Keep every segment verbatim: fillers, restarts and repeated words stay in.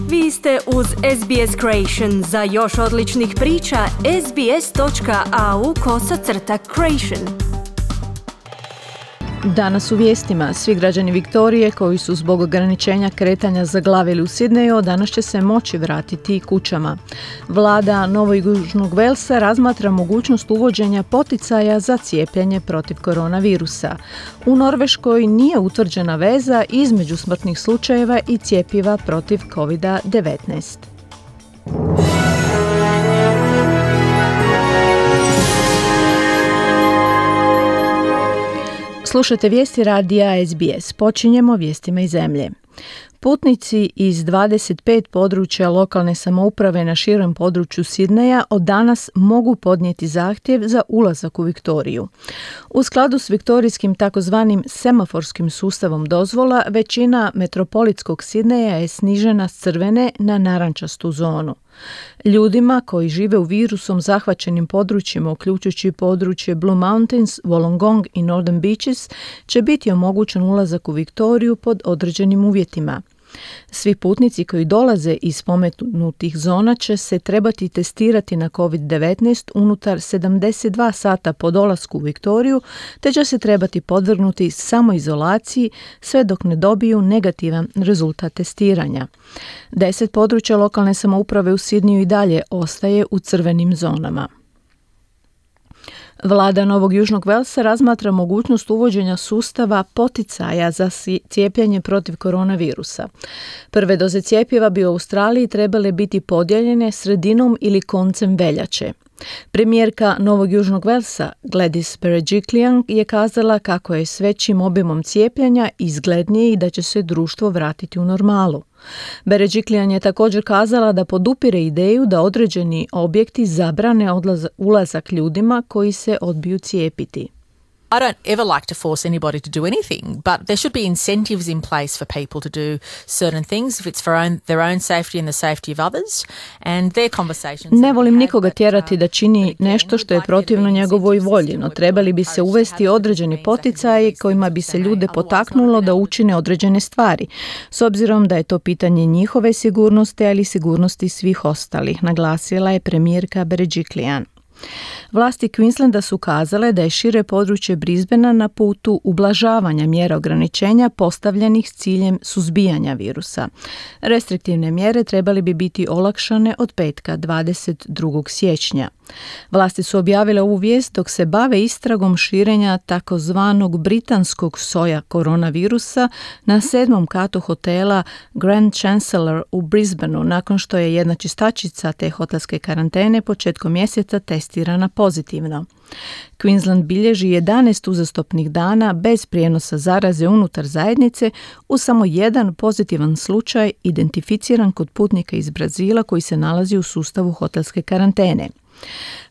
Vi ste uz S B S Creation. Za još odličnih priča, sbs.au kosacrta creation. Danas u vijestima, svi građani Viktorije koji su zbog ograničenja kretanja zaglavili u Sidneju danas će se moći vratiti kućama. Vlada Novog Južnog Velsa razmatra mogućnost uvođenja poticaja za cijepljenje protiv koronavirusa. U Norveškoj nije utvrđena veza između smrtnih slučajeva i cjepiva protiv covid devetnaest. Slušajte vijesti radija S B S. Počinjemo vijestima iz zemlje. Putnici iz dvadeset pet područja lokalne samouprave na širem području Sidneja od danas mogu podnijeti zahtjev za ulazak u Viktoriju. U skladu s viktorijskim takozvanim semaforskim sustavom dozvola, većina metropolitskog Sidneja je snižena s crvene na narančastu zonu. Ljudima koji žive u virusom zahvaćenim područjima, uključujući područje Blue Mountains, Wollongong i Northern Beaches, će biti omogućen ulazak u Viktoriju pod određenim uvjetima. Svi putnici koji dolaze iz spomenutih zona će se trebati testirati na covid devetnaest unutar sedamdeset dva sata po dolasku u Viktoriju, te će se trebati podvrgnuti samoizolaciji sve dok ne dobiju negativan rezultat testiranja. Deset područja lokalne samouprave u Sidneju i dalje ostaje u crvenim zonama. Vlada Novog Južnog Velsa razmatra mogućnost uvođenja sustava poticaja za cijepljenje protiv koronavirusa. Prve doze cjepiva bi u Australiji trebale biti podijeljene sredinom ili koncem veljače. Premijerka Novog Južnog Velsa Gladys Berejiklian je kazala kako je s većim obimom cijepljenja izglednije i da će se društvo vratiti u normalu. Berejiklian je također kazala da podupire ideju da određeni objekti zabrane odlaz- ulazak ljudima koji se odbiju cijepiti. I don't ever like to force anybody to do anything, but there should be incentives in place for people to do certain things if it's for own, their own safety and the safety of others. And their conversations. Ne volim nikoga tjerati da čini nešto što je protivno njegovoj volji, no trebali bi se uvesti određeni poticaji kojima bi se ljude potaknulo da učine određene stvari, s obzirom da je to pitanje njihove sigurnosti, ali i sigurnosti svih ostalih, naglasila je premijerka Berejiklian. Vlasti Queenslanda su kazale da je šire područje Brisbanea na putu ublažavanja mjera ograničenja postavljenih s ciljem suzbijanja virusa. Restriktivne mjere trebali bi biti olakšane od petka dvadeset drugog siječnja. Vlasti su objavile ovu vijest dok se bave istragom širenja takozvanog britanskog soja koronavirusa na sedmom katu hotela Grand Chancellor u Brisbaneu nakon što je jedna čistačica te hotelske karantene početkom mjeseca testirana pozitivno. Queensland bilježi jedanaest uzastopnih dana bez prijenosa zaraze unutar zajednice uz samo jedan pozitivan slučaj identificiran kod putnika iz Brazila koji se nalazi u sustavu hotelske karantene.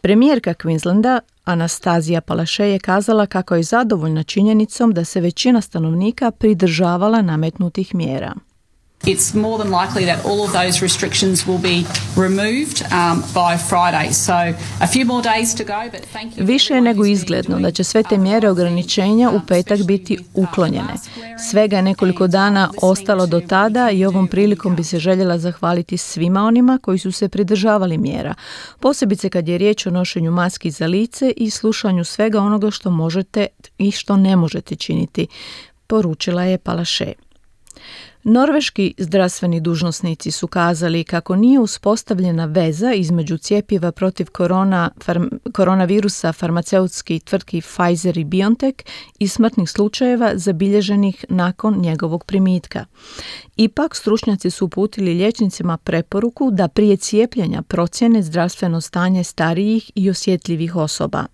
Premijerka Queenslanda Anastazija Palaszczuk je kazala kako je zadovoljna činjenicom da se većina stanovnika pridržavala nametnutih mjera. It's more than likely that all of those restrictions will be removed um, by Friday. So a few more days to go, but thank you. Više je nego izgledno da će sve te mjere ograničenja u petak biti uklonjene. Svega je nekoliko dana ostalo do tada i ovom prilikom bi se željela zahvaliti svima onima koji su se pridržavali mjera. Posebice kad je riječ o nošenju maski za lice i slušanju svega onoga što možete i što ne možete činiti, poručila je Palaszczuk. Norveški zdravstveni dužnosnici su kazali kako nije uspostavljena veza između cjepiva protiv korona, farm, koronavirusa farmaceutskih tvrtki Pfizer i BioNTech i smrtnih slučajeva zabilježenih nakon njegovog primitka. Ipak, stručnjaci su uputili liječnicima preporuku da prije cijepljenja procjene zdravstveno stanje starijih i osjetljivih osoba.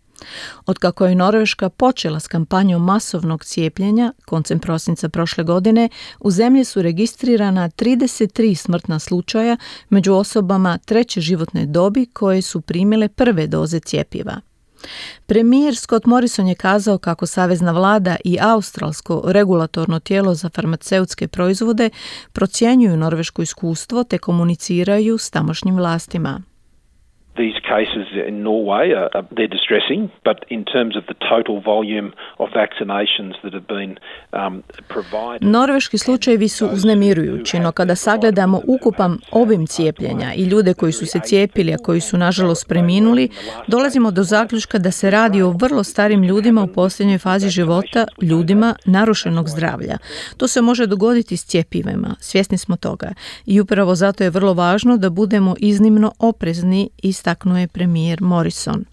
Otkako je Norveška počela s kampanjom masovnog cijepljenja, koncem prosinca prošle godine, u zemlji su registrirana trideset tri smrtna slučaja među osobama treće životne dobi koje su primile prve doze cjepiva. Premijer Scott Morrison je kazao kako savezna vlada i australsko regulatorno tijelo za farmaceutske proizvode procjenjuju norveško iskustvo te komuniciraju s tamošnjim vlastima. These cases in Norway, are, are, they're distressing, but in terms of the total volume of vaccinations that have been um, provided... Norveški slučajevi su uznemirujući, no kada sagledamo ukupan obim cijepljenja i ljude koji su se cijepili, a koji su nažalost preminuli, dolazimo do zaključka da se radi o vrlo starim ljudima u posljednjoj fazi života, ljudima narušenog zdravlja. To se može dogoditi s cjepivima, svjesni smo toga. I upravo zato je vrlo važno da budemo iznimno oprezni, istaknuo je premijer Morrison.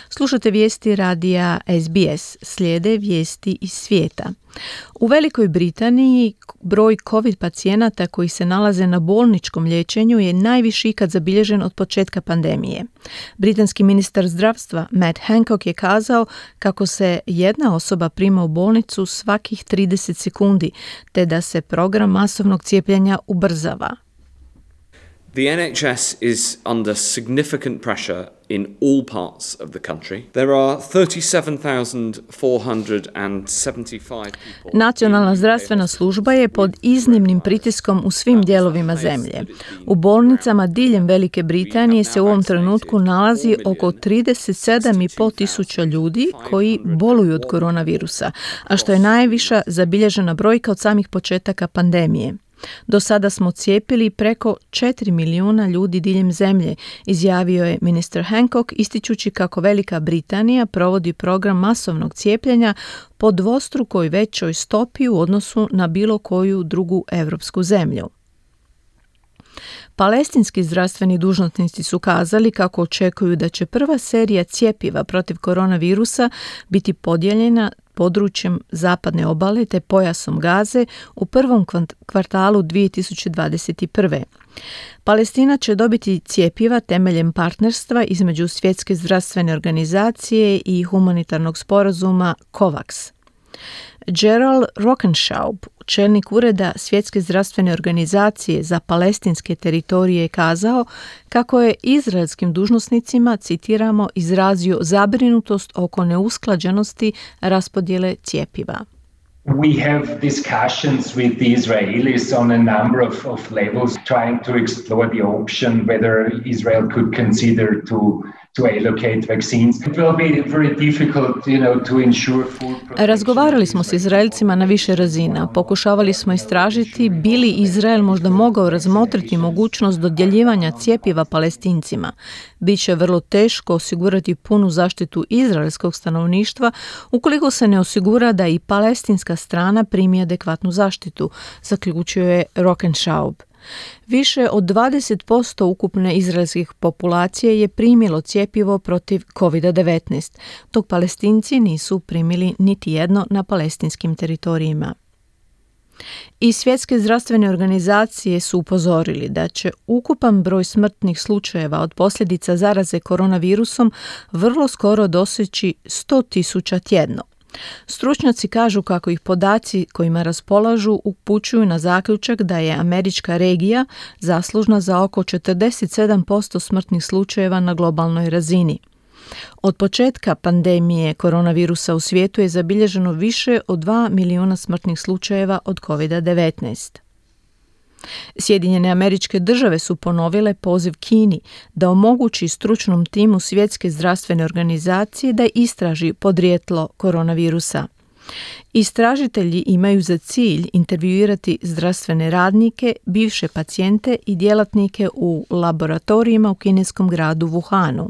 Slušate vijesti radija S B S, slijede vijesti iz svijeta. U Velikoj Britaniji broj COVID pacijenata koji se nalaze na bolničkom liječenju je najviši ikad zabilježen od početka pandemije. Britanski ministar zdravstva Matt Hancock je kazao kako se jedna osoba prima u bolnicu svakih trideset sekundi, te da se program masovnog cijepljenja ubrzava. The N H S is under significant pressure in all parts of the country. There are thirty-seven thousand four hundred seventy-five people. Nacionalna zdravstvena služba je pod iznimnim pritiskom u svim dijelovima zemlje. U bolnicama diljem Velike Britanije se u ovom trenutku nalazi oko trideset sedam i pol tisuća ljudi koji boluju od koronavirusa, a što je najviša zabilježena brojka od samih početaka pandemije. Do sada smo cijepili preko četiri milijuna ljudi diljem zemlje, izjavio je ministar Hancock, ističući kako Velika Britanija provodi program masovnog cijepljenja po dvostrukoj većoj stopi u odnosu na bilo koju drugu europsku zemlju. Palestinski zdravstveni dužnosnici su kazali kako očekuju da će prva serija cjepiva protiv koronavirusa biti podijeljena područjem zapadne obale te pojasom Gaze u prvom kvartalu dvije tisuće dvadeset prve. Palestina će dobiti cjepiva temeljem partnerstva između Svjetske zdravstvene organizacije i humanitarnog sporazuma COVAX. Gerald Rockenschaub, čelnik ureda Svjetske zdravstvene organizacije za palestinske teritorije, je kazao kako je izraelskim dužnosnicima, citiramo, izrazio zabrinutost oko neusklađenosti raspodjele cjepiva. We have discussions with the Israelis on a number of, of levels, trying to explore the option whether Israel could consider to to allocate vaccines. It will be very difficult, you know, to ensure food protection. Razgovarali smo s Izraelcima na više razina. Pokušavali smo istražiti bi li Izrael možda mogao razmotriti mogućnost dodjeljivanja cjepiva Palestincima. Biće vrlo teško osigurati punu zaštitu izraelskog stanovništva ukoliko se ne osigura da i palestinska strana primi adekvatnu zaštitu, zaključio je Rockenschaub. Više od dvadeset posto ukupne izraelskih populacije je primilo cjepivo protiv kovid devetnaest, dok Palestinci nisu primili niti jedno na palestinskim teritorijima. I Svjetske zdravstvene organizacije su upozorili da će ukupan broj smrtnih slučajeva od posljedica zaraze koronavirusom vrlo skoro doseći sto tisuća tjedno. Stručnjaci kažu kako ih podaci kojima raspolažu upućuju na zaključak da je američka regija zaslužna za oko četrdeset sedam posto smrtnih slučajeva na globalnoj razini. Od početka pandemije koronavirusa u svijetu je zabilježeno više od dva milijuna smrtnih slučajeva od kovid devetnaest. Sjedinjene Američke Države su ponovile poziv Kini da omogući stručnom timu Svjetske zdravstvene organizacije da istraži podrijetlo koronavirusa. Istražitelji imaju za cilj intervjuirati zdravstvene radnike, bivše pacijente i djelatnike u laboratorijima u kineskom gradu Wuhanu.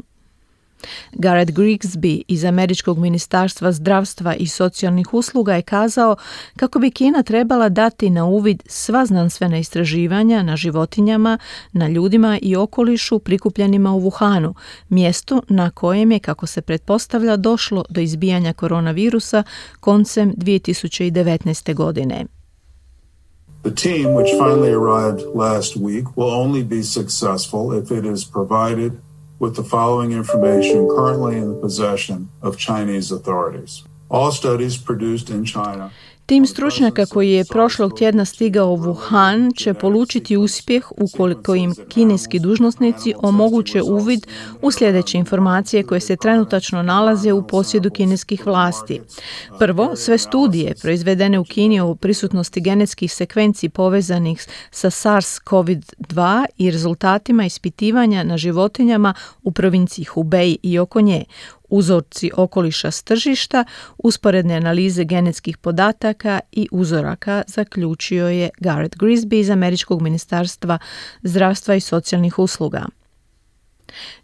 Garrett Grigsby iz Američkog ministarstva zdravstva i socijalnih usluga je kazao kako bi Kina trebala dati na uvid sva znanstvena istraživanja na životinjama, na ljudima i okolišu prikupljenima u Wuhanu, mjestu na kojem je, kako se pretpostavlja, došlo do izbijanja koronavirusa koncem dvije tisuće devetnaeste. godine. The team, which finally arrived last week, will only be successful if it is provided with the following information currently in the possession of Chinese authorities. All studies produced in China. Tim stručnjaka koji je prošlog tjedna stigao u Wuhan će polučiti uspjeh ukoliko im kineski dužnosnici omoguće uvid u sljedeće informacije koje se trenutačno nalaze u posjedu kineskih vlasti. Prvo, sve studije proizvedene u Kini o prisutnosti genetskih sekvenci povezanih sa SARS-CoV dva i rezultatima ispitivanja na životinjama u provinciji Hubei i oko nje, uzorci okoliša s tržišta, usporedne analize genetskih podataka i uzoraka, zaključio je Garrett Grisby iz Američkog ministarstva zdravstva i socijalnih usluga.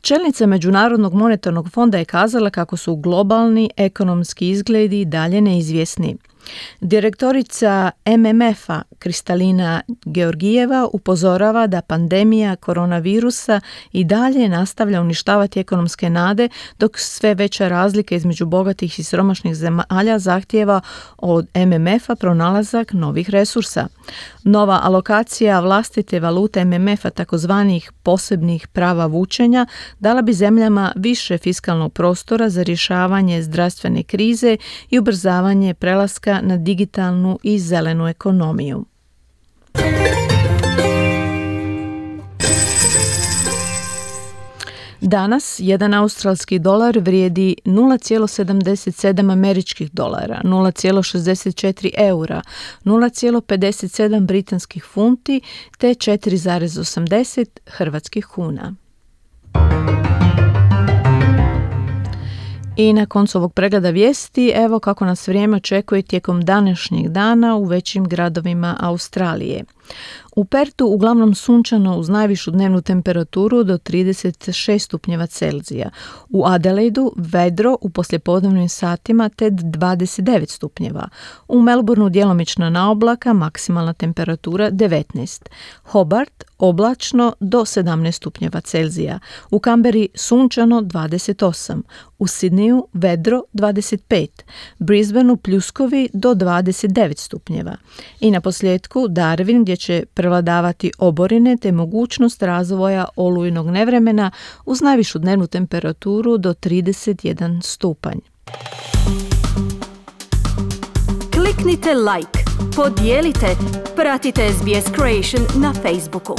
Čelnica Međunarodnog monetarnog fonda je kazala kako su globalni ekonomski izgledi dalje neizvjesni. Direktorica M M F-a Kristalina Georgijeva upozorava da pandemija koronavirusa i dalje nastavlja uništavati ekonomske nade, dok sve veća razlika između bogatih i siromašnih zemalja zahtijeva od M M F-a pronalazak novih resursa. Nova alokacija vlastite valute M M F-a, takozvanih posebnih prava vučenja, dala bi zemljama više fiskalnog prostora za rješavanje zdravstvene krize i ubrzavanje prelaska na digitalnu i zelenu ekonomiju. Danas jedan australski dolar vrijedi nula zarez sedamdeset sedam američkih dolara, nula zarez šezdeset četiri eura, nula zarez pedeset sedam britanskih funti te četiri zarez osamdeset hrvatskih kuna. I na koncu ovog pregleda vijesti, evo kako nas vrijeme očekuje tijekom današnjeg dana u većim gradovima Australije. U Pertu uglavnom sunčano uz najvišu dnevnu temperaturu do trideset šest stupnjeva Celzija. U Adelaidu vedro u poslijepodnevnim satima te dvadeset devet stupnjeva. U Melbourneu djelomična naoblaka, maksimalna temperatura devetnaest. Hobart oblačno do sedamnaest stupnjeva Celzija. U Kamberi sunčano dvadeset osam. U Sidneju vedro dvadeset pet. Brisbaneu pljuskovi do dvadeset devet stupnjeva. I na posljedku Darwin gdje će prevladavati oborine te mogućnost razvoja olujnog nevremena uz najvišu dnevnu temperaturu do trideset jedan stupanj. Kliknite like, podijelite, pratite S B S Creation na Facebooku.